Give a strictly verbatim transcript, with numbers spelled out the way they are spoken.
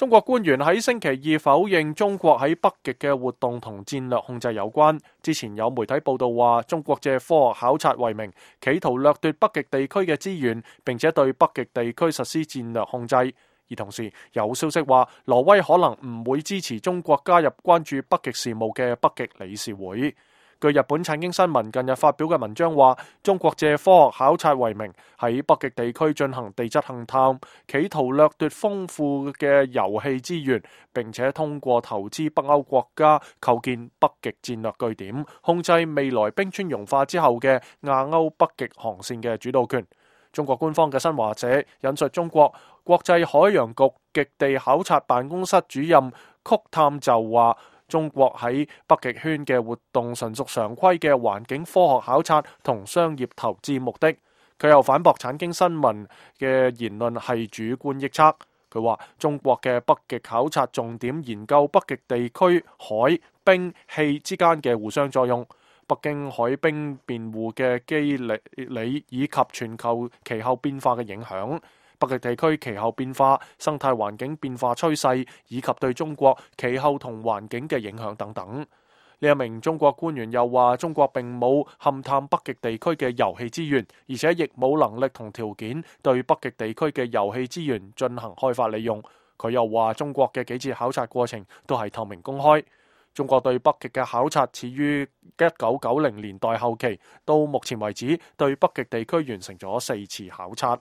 中國官員喺星期二否認中國喺北極嘅活動同戰略控制有關。之前有媒體報道話，中國借科學考察為名，企圖掠奪北極地區嘅資源，並且對北極地區實施戰略控制。而同時有消息話，挪威可能唔會支持中國加入關注北極事務嘅北極理事會。據日本產經新聞近日發表嘅文章話，中國借科學考察為名，喺北極地區進行地質勘探，企圖掠奪豐富嘅油氣資源，並且通過投資北歐國家構建北極戰略據點，控制未來冰川融化之後嘅亞歐北極航線嘅主導權。中國官方嘅新華社引述中國國際海洋局極地考察辦公室主任曲探就話，中國喺北極圈嘅活動純屬常規嘅環境科學考察同商業投資目的。佢又反駁產經新聞嘅言論係主觀臆測。佢話中國嘅北極考察重點研究北極地區海、冰、氣之間嘅互相作用，北京海冰辯護嘅機理以及全球氣候變化嘅影響，北極地區氣候變化、生態環境變化趨勢，以及對中國氣候同環境嘅影響等等。呢一名中國官員又話，中國並冇勘探北極地區嘅油氣資源，而且亦冇能力同條件對北極地區嘅油氣資源進行開發利用。佢又話，中國嘅幾次考察過程都係透明公開。中國對北極嘅考察始於一九九零年代後期，到目前為止對北極地區完成咗四次考察。